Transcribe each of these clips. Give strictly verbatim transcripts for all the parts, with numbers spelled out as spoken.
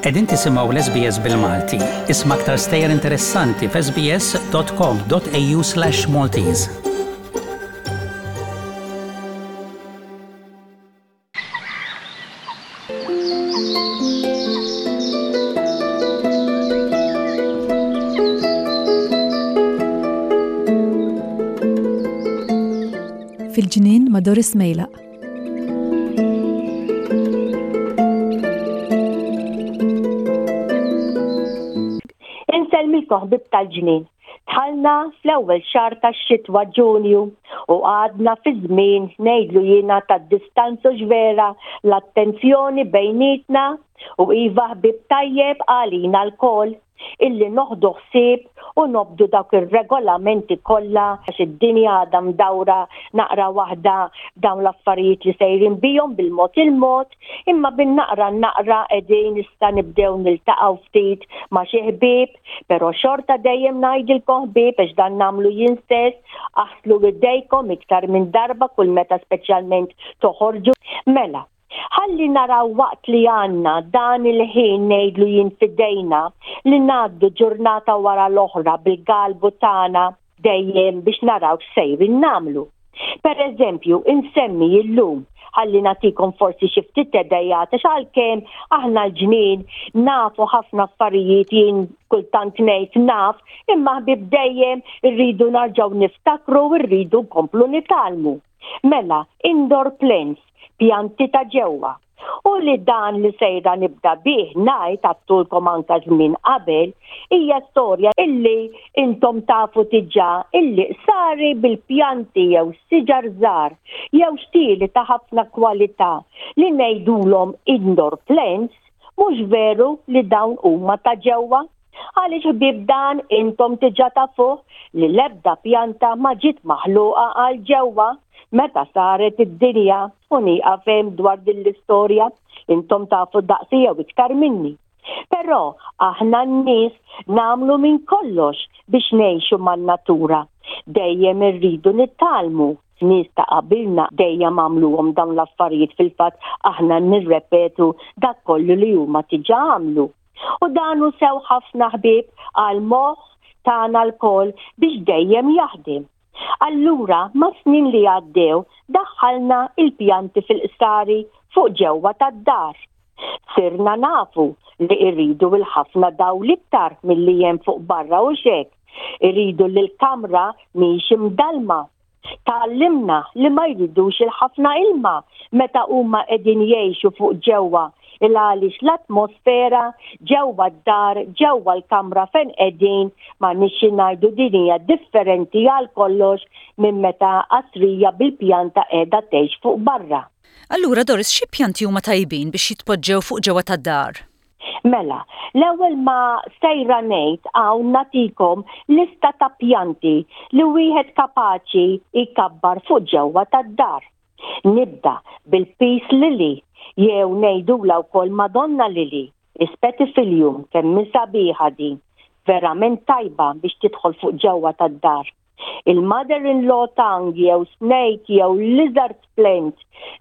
Qegħdin tisimgħu l-S B S bil-Malti. Isma' aktar stejjer interessanti f'S B S dot com dot A U slash Maltese. Fil-Ġnien ma' Doris Mejlaq. Insellmilkom, ħbieb tal-ġnien. Dħalna fl-ewwel xahar tax-xitwa, Ġunju, u għadna fi żmien, ngħidlu jiena, tad-distanza vera, l-attenzjoni bejnietna, u iva, ħbieb, tajjeb għalina lkoll illi noħdu ħsieb u nobdu dawk ir-regolamenti kollha, għax id-dinja għadha mdawra naqra waħda dawn l-affarijiet li sejrin bihom bil-mod il-mod, imma bin-naqra naqra qegħdin issa nibdew niltaqgħu ftit ma' xi ħbieb, però xorta dejjem ngħidilkom, ħbieb, għax dan nagħmlu jien stess, aħslu idejkom iktar minn darba kull meta speċjalment toħorġu. Mela, ħalli naraw waqt li għandna dan il-ħin, ngħidlu jien, f'idejna, li ngħaddu ġurnata wara l-oħra bil-galbu tagħna dejjem biex naraw x'sejrin nagħmlu. Per eżempju, insemmi illum ħalli nagħtikom forsi xi ftit ideat, għax għalkemm aħna l-ġnien nafu ħafna affarijiet, jien kultant ngħid naf, imma, ħbieb, dejjem irridu nerġgħu niftakru, rridu nkomplu nitgħallmu. Mela, indoor plants, pjanti ta' ġewwa. U li dan li sejra nibda bih ngħid għedtulkom anka żmien qabel, hija storja illi intom tafu diġà illi sari bil-pjanti jew siġar żgħar jew xtieli ta' ħafna kwalità li ngħidulhom indoor plants, mhux veru li dawn huma ta' ġewwa. Għaliex, ħbieb, dan intom diġà tafuh li l-ebda pjanta ma ġiet maħluqa għal ġewwa meta saret id-dinja, u nieqaf hemm dwar din l-istorja, intom tafu daqsi jew iktar minni. Però aħna n-nies nagħmlu minn kollox biex ngħixu man-natura. Dejjem irridu nitgħallmu. Nies ta' qabilna dejjem għamluhom dawn l-affarijiet, fil-fatt aħna nirrepetu dak kollu li huma diġà għamlu. U dan hu sew ħafna, ħbieb, għal moħħ tagħna lkoll biex dejjem jaħdem. Allura, ma' snin li għaddew, daħħalna il-pjanti fil-qsari fuq ġewwa tad-dar. Sirna nafu li irridu il-ħafna dawl iktar milli hemm fuq barra u hekk. Irridu li l-kamra mhix imdalma. Tgħallimna li ma jridux il-ħafna ilma meta huma qegħdin jgħixu fuq ġewwa, il għaliex l-atmosfera ġewwa d-dar, ġewwa l-kamra fejn qegħdin, ma nixi ngħidu, din hija differenti għal kollox minn meta qasrija bil-pjanta qiegħda tgħix fuq barra. Allura, Doris, xi pjanti huma tajbin biex jitpoġġew fuq ġewwa tad-dar? Mela, l-ewwel ma sejra ngħid hawn nagħtikom lista ta' pjanti li wieħed kapaċi jkabbar fuq ġewwa tad-dar. Nibda bil-peace lily jew ngħidula wkoll Madonna lily, Spathiphyllum, kemm sabiħa din, verament tajba biex tidħol fuq ġewwa tad-dar. Il-mother-in-law tongue jew snake jew lizard plant,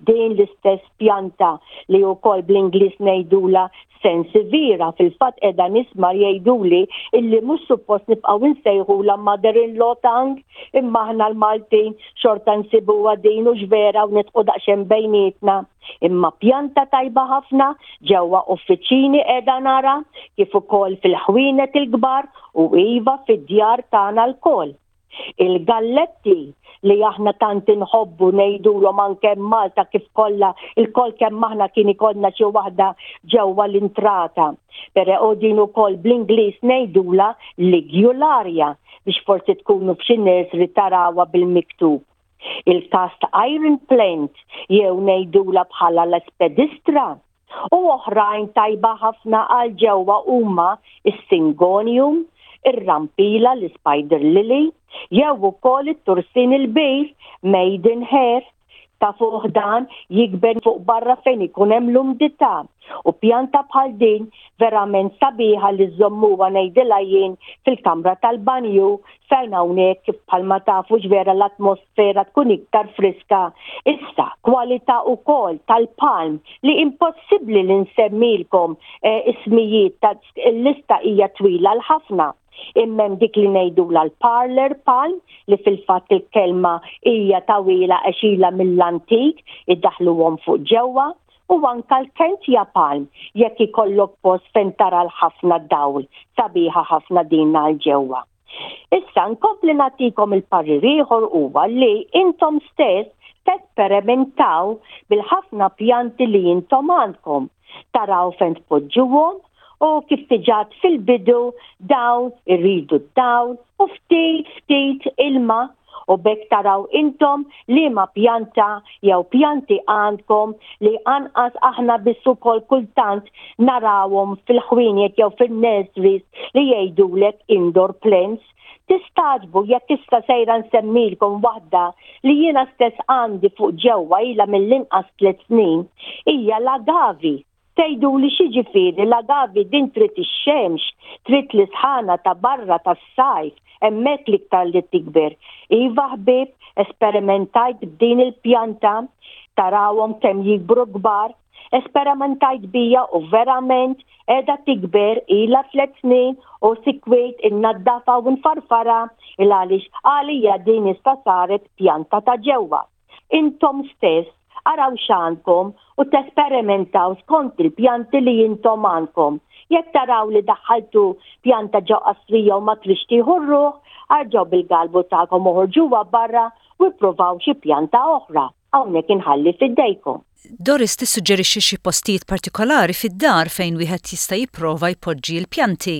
din l-istess pjanta li wkoll bl-Ingliż ngħidula Sansevieria, fil-fatt qiegħda nisma' jgħiduli illi mhux suppost nibqgħu nsejħula mother-in-law tongue, imma aħna l-Maltin xorta nsibuha din u vera u nidħku daqsxejn bejnietna. Imma pjanta tajba ħafna ġewwa uffiċini qiegħda nara, kif ukoll fil-ħwienet il-kbar, u iva, fid-djar tagħna lkoll. Il-galletti li aħna tant inħobbu, ngħidulhom anke Malta, kif kollha il-kol kemm aħna kien ikollna xi waħda ġewwa l-intrata. Però din ukoll bl-Ingliż ngħidula ligularia, biex forsi tkunu f'xi nursery tarawha bil-miktub. Il-cast iron plant jew ngħidula bħala l-aspidistra, u oħrajn tajba ħafna għal ġewwa huma is-syngonium, ir-rampila, l-spider lily, jew ukoll it-tursin il-kbir, maidenhair, ta' fuq dan jikber fuq barra fejn ikun hemm l-umdità. U pjanta bħal din verament sabiħa li żommuha, ngħidilha jien, fil-kamra tal-banju fejn hawnhekk, kif bħalma tafu vera, l-atmosfera tkun iktar friska. Issa, kwalità wkoll tal-palm li impossibbli li nsemmilkom eh, ismijiet, ta' l-lista hija twila l-ħafna. Imma hemm dik li ngħidu l-parlor palm, li fil-fatt il-kelma hija tawila għax ilha mill-antik iddaħluhom fuq ġewwa, u anka l-Kentia palm jekk ikollok post fejn tara l-ħafna dawl, sabiħa ħafna din għal ġewwa. Issa nkompli nagħtikom il-parir ieħor huwa li intom stess tesperimentaw bil-ħafna pjanti li intom għandkom. Taraw fejn tpoġġuhom u kif tiġat fil-bidu dawn irridu d-dawl u ftit ftit ilma, u biex taraw intom li ma pjanta jew pjanti għandkom li anqas aħna biss ukoll kultant narawhom fil-ħwienet jew fil-nurseries li jgħidulek indoor plants. Tistagħġbu jekk issa sejra nsemmilkom waħda li jiena stess għandi fuq ġewwa, ilha mill-inqas tliet snin, hija l-agavi. Tgħidu li x'jiġifieri l-agavi, din trid ix-xemx, trid l-isħana ta' barra tas-sajf, hemmhekk l-iktar li tikber. Iva ħbib, esperimentajt b'din il-pjanta, tarawhom kemm jikbru kbar, esperimentajt bija u verament qiegħda tikber, ilha tliet snin u sikwit innaddafa u nfarfara il għaliex għalija din issa saret pjanta ta' ġewwa. Intom stess araw x'għandkom u tesperimentaw skont il-pjanti li intom għandkom. Jekk taraw li daħħaltu pjanta ġo qasrija u ma tridx tieħu ruħ, arġgħu bil-galbu tagħkom oħorġuha barra u ippruvaw xi pjanta oħra. Hawnhekk inħalli f'idejkom. Doris tissuġġerixxi xi postijiet partikolari fid-dar fejn wieħed jista' jipprova jpoġġi l-pjanti.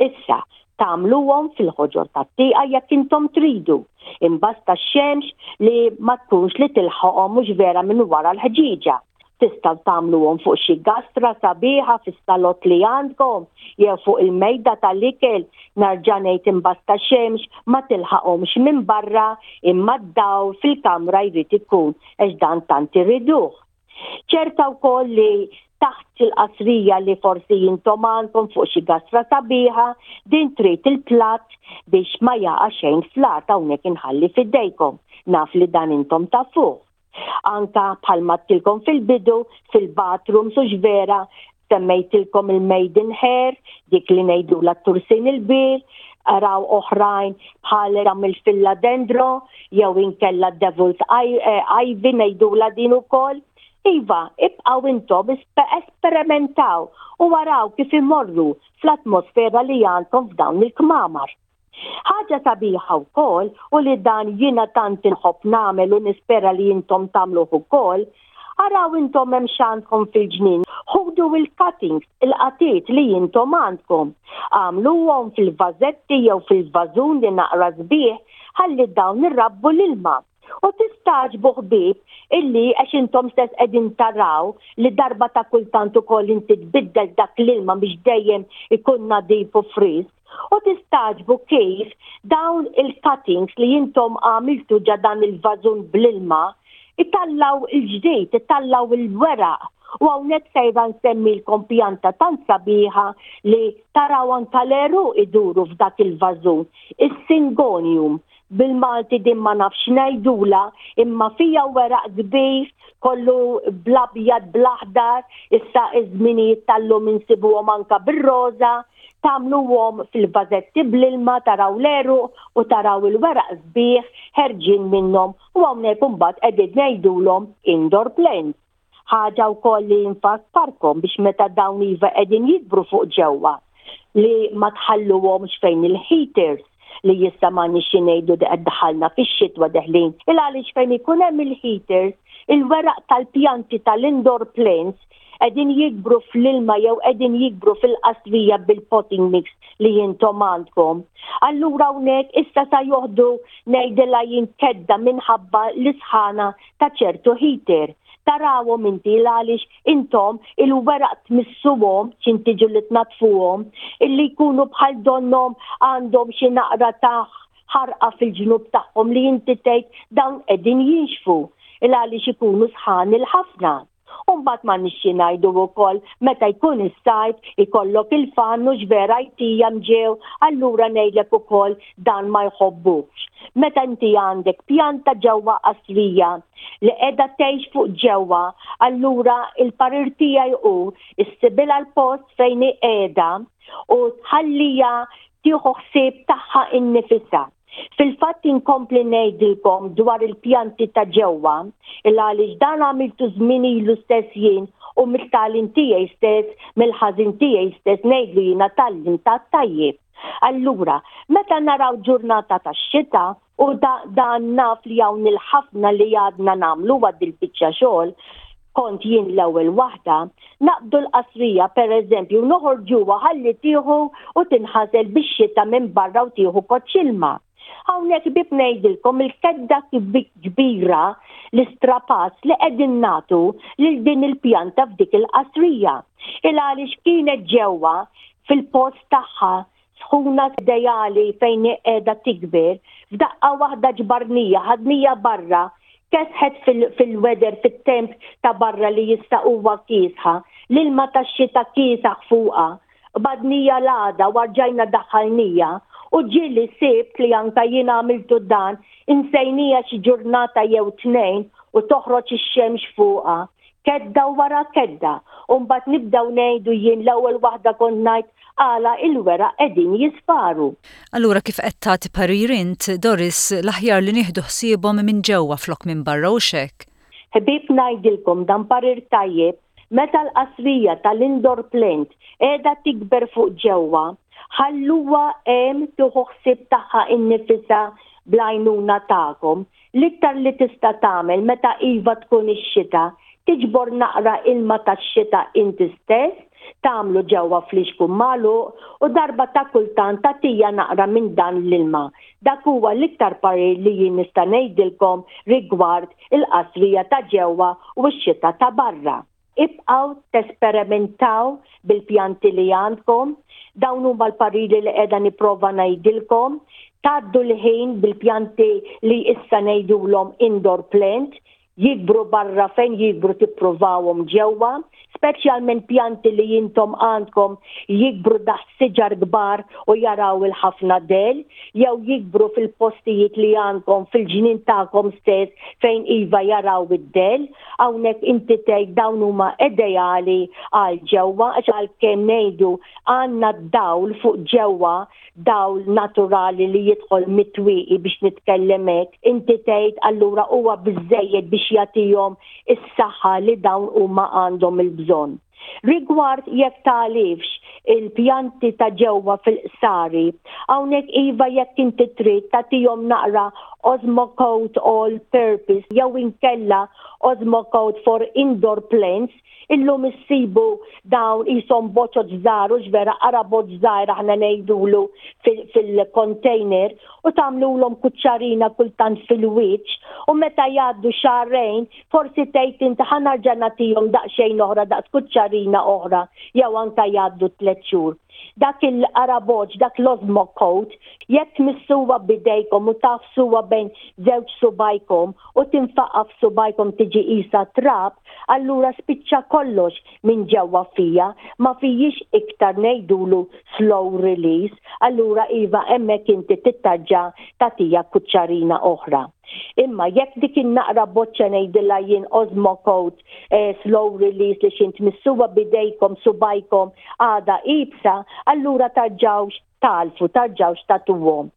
Issa, tagħmluhom fil-ħoġor tat-tieqa jekk intom tridu. Imbasta x-xemx li ma tkunx li tilħaqhom mhux vera minn wara l-ħġieġa. Tistgħu tagħmluhom fuq xi gastra sabiħa fis-salott li għandkom jew fuq il-mejda tal-ikel, nerġa' ngħid, imbasta xemx ma tilħaqhomx minn barra, imma d-dawl fil-kamra jrid ikun għax dan tant iriduh. Ċerta wkoll li taħt il-qasrija li forsi intom għandkom fuq xi gastra sabiħa, din trid il-platt biex ma jaqa' xejn fl-art, hawnhekk inħalli f'idejkom. Naf li dan intom tafuh. Anka bħalma għedtilkom fil-bidu, fil-bathroom sux vera, semmejtilkom il-maiden hair, dik li ngħidu la tursin il-bir, araw oħrajn bħal ram il-philodendro, jew inkella devil's eh, ivy ngħidula din ukoll. Iva, ibqaw intom esperimentaw u waraw kif imorru fl-atmosfera li għandkom f'dawn il-kmamar. Ħaġa sabiħa wkoll, u li dan jiena tant inħobb nagħmel u nispera li intom tagħmluh ukoll, araw intom hemm x'għandkom fil-ġnien. Ħudu il-cuttings, il-qatiet li intom għandkom. Għamluhom fil-vażetti jew fil-vażun li naqra sbieħ ħalli dawn irrabbu l-ilma. U tistagħġbu ħbib illi għax intom stess qegħdin taraw li darba ta' kultant ukoll inti tbiddel dak l-ilma biex dejjem ikun nadif u frisk. U tistagħġbu kif dawn il-cuttings li intom għamiltu ġo dan il-vażun bl-ilma itellaw il-ġdid, itellaw il-weraq. U hawnhekk sejra nsemmilkom pjanta tant sabiħa li taraw anka l-għeruq iduru f'dak il-vażun, is-syngonium. Bil-Malti din ma nafx ngħidula, imma fija weraq kbir, kollu bl-abjad, bl-aħdar, issa iż-żminijiet tal-lum insibuhom anka bir-roża, tagħmluhom fil-vażetti bl-ilma, taraw l-għeruq u taraw il-weraq sbieħ ħerġin minnhom, u hawnhekk imbagħad qegħdin ngħidulhom indoor plants. Ħaġa wkoll li nfakkarkom biex meta dawn iva qegħdin jikbru fuq ġewwa li ma tħalluhomx fejn il-heaters, li issa ma nix ngħidu daħalna fix-xitwa deħlin. Il għaliex fejn ikun hemm il-heaters, il-weraq tal-pjanti tal-indoor plants qegħdin jikbru fl-ilma jew qegħdin jikbru fil-qasrija bil-potting mix li intom għandkom. Allura hawnhekk issa sa joħdu, ngħidilha jien, kedda minħabba l-isħana ta' ċertu heater. Tarawhom inti għaliex intom il-weraq tmissuhom x'intiġu li tnatfuhom illi jkunu bħal donnom għandhom xi naqra ta' ħarqa fil-ġnub tagħhom li inti tgħid dawn qegħdin jinxfu il għaliex ikunu sħan il-ħafna. U mbagħad ma nixxi ngħidu wkoll meta jkun is-sajf ikollok il-fan u vera jtija mġew, allura ngħidlek ukoll dan ma jħobbux. Meta inti għandek pjanta ġewwa qasrija li qiegħda tgħix fuq ġewwa, allura il-parir tiegħi hu issibilha l-post fejn hi qiegħda u tħallija tieħu ħsieb tagħha innifisha. Fil-fatt inkompli ngħidilkom dwar il-pjanti ta' ġewwa, il għaliex dan għamiltu żmien ilu stess jien u mit-tagħlim tiegħi stess, mill-ħażin tiegħi stess ngħidlu jiena tgħallimt ta' tajjeb. Allura, meta naraw ġurnata ta' xita u dan naf li hawn il-ħafna li għadna nagħmlu għad il-biċċa xogħol, kont jien l-ewwel waħda, naqbdu l-qasrija pereżempju noħorġuha ħalli tieħu u tinħasel bix-xita minn barra u tieħu koċċ ilma. Hawnhekk bib ngħidilkom il-kedda kbira l-istrapazz li qegħdin nagħtu lil din il-pjanta f'dik il-qasrija. Il għaliex kienet ġewwa fil-post tagħha sħuna ideali fejn qiegħda tikber, f'daqqa waħda ġbarnija, ħadnija barra, kesħet fil-weather, fit-temp ta' barra li jista' huwa kiesħa, l-ilma tax-xita kiesaħ fuqha, badnija l-għada warġajna daħħalnija u ġieli sibt li anka jien għamiltu dan insejnija xi ġurnata jew tnejn u toħroġ ix-xemx fuqha. Kedda wara kedda, u mbagħad nibdew ngħidu jien l-ewwel waħda kont ngħid għala il-weraq qegħdin jisfaru. Allura kif qed tagħti parir int, Doris, l-aħjar li nieħdu ħsiebhom minn ġewwa flok minn barra u xek? Ħbieb ngħidilkom dan parir tajjeb, meta l-qasrija tal-indoor plant qiegħda tikber fuq ġewwa, ħalluha hemm tieħu ħsieb tagħha innifisha bl-għajnuna tagħkom. L-iktar li tista' tagħmel meta iva tkun ix-xita, tiġbor naqra ilma tax-xita inti stess, tagħmlu ġewwa flixkun magħluq u darba ta' kultant tagħtija naqra minn dan l-ilma. Dak huwa l-iktar parir li jien nista' ngħidilkom rigward il-qasrija ta' ġewwa u x-xita ta' barra. Ibqgħu tesperimentaw bil-pjanti li għandkom, dawn huma l-pariri li qiegħda nipprova ngħidilkom, tgħaddu l-ħin bil-pjanti li issa ngħidulhom indoor plant, jikbru barra fejn jikbru tippruvawhom ġewwa, speċjalment pjanti li intom għandkom jikbru taħt siġar kbar u jaraw il-ħafna del, jew jikbru fil-postijiet li għandkom fil-ġnien tagħkom stess fejn iva jaraw id-del, hawnhekk inti tgħid dawn huma ideali għal ġewwa għax għalkemm ngħidu għandna d-dawl fuq ġewwa, dawl naturali li jidħol mit-twieqi biex nitkellem hekk, inti tgħid allura huwa biżżejjed biex jagħtihom is-saħħa li dawn huma għandhom il-bżonn. Rigward jekk tagħlifx il-pjanti ta' ġewwa fil-qsari, hawnhekk iva jekk inti trid tagħtihom naqra Osmocote All Purpose jew inkella Osmocote for Indoor Plants, illum issibu dawn qishom boċoċ żgħar u x'vera qarabot żgħir aħna ngħidulu fil-container u tagħmlulhom kuċċarina kultant fil-wiċċ u meta jgħaddu xahrejn forsi tgħid inti ħa nerġa' nagħtihom daqsxejn oħra daqs kuċċarina oħra jew anke jgħaddu tliet xhur. Dak il-qaraboċ, dak l-Osmocote, jekk tmissuha b'idejkom u tafsuha bejn żewġ subajkom u tinfaqa f'subajkom tiġi qisha trab, allura spiċċa kollox minn ġewwa fija, ma fijiex iktar ngħidulu slow release, allura iva hemmhekk inti tittarġa' tagħtija kuċċarina oħra. Imma jekk dik in-naqra boċċa ngħidilha jien Osmocote eh, slow release li xint missuha bidejkom subajkom għada ibsa, allura tarġawx talfu, tarġawx tatuhom.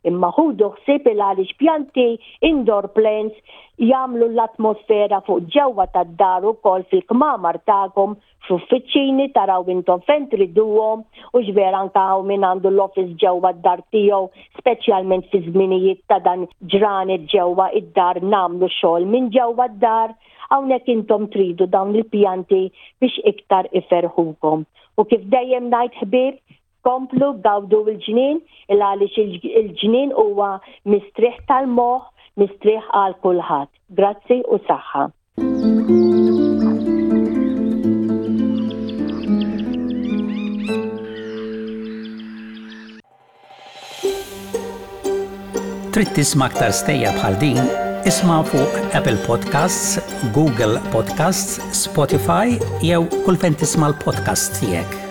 Imma ħudu ħsieb il għaliex pjanti indoor plants jagħmlu l-atmosfera fuq ġewwa tad-dar ukoll fil-kmamar tagħkom, f'uffiċini taraw intom fejn triduhom u x'vera anke hawn min għandu l-office ġewwa d-dar tiegħu, speċjalment fi żminijiet ta' dan ġranet ġewwa id-dar nagħmlu xogħol minn ġewwa d-dar, hawnhekk intom tridu dawn il-pjanti biex iktar iferħukom. U kif dejjem ngħid ħbieb, komplu gawdu l-ġnien, il għaliex il-ġnien huwa mistrieħ tal-moħħ, mistrieħ għal kulħadd. Grazzi u saħħa. Trid tisma' aktar stejjer bħal din? Isma' fuq Apple Podcasts, Google Podcasts, Spotify jew kull fejn tisma' l-podcast tiegħek.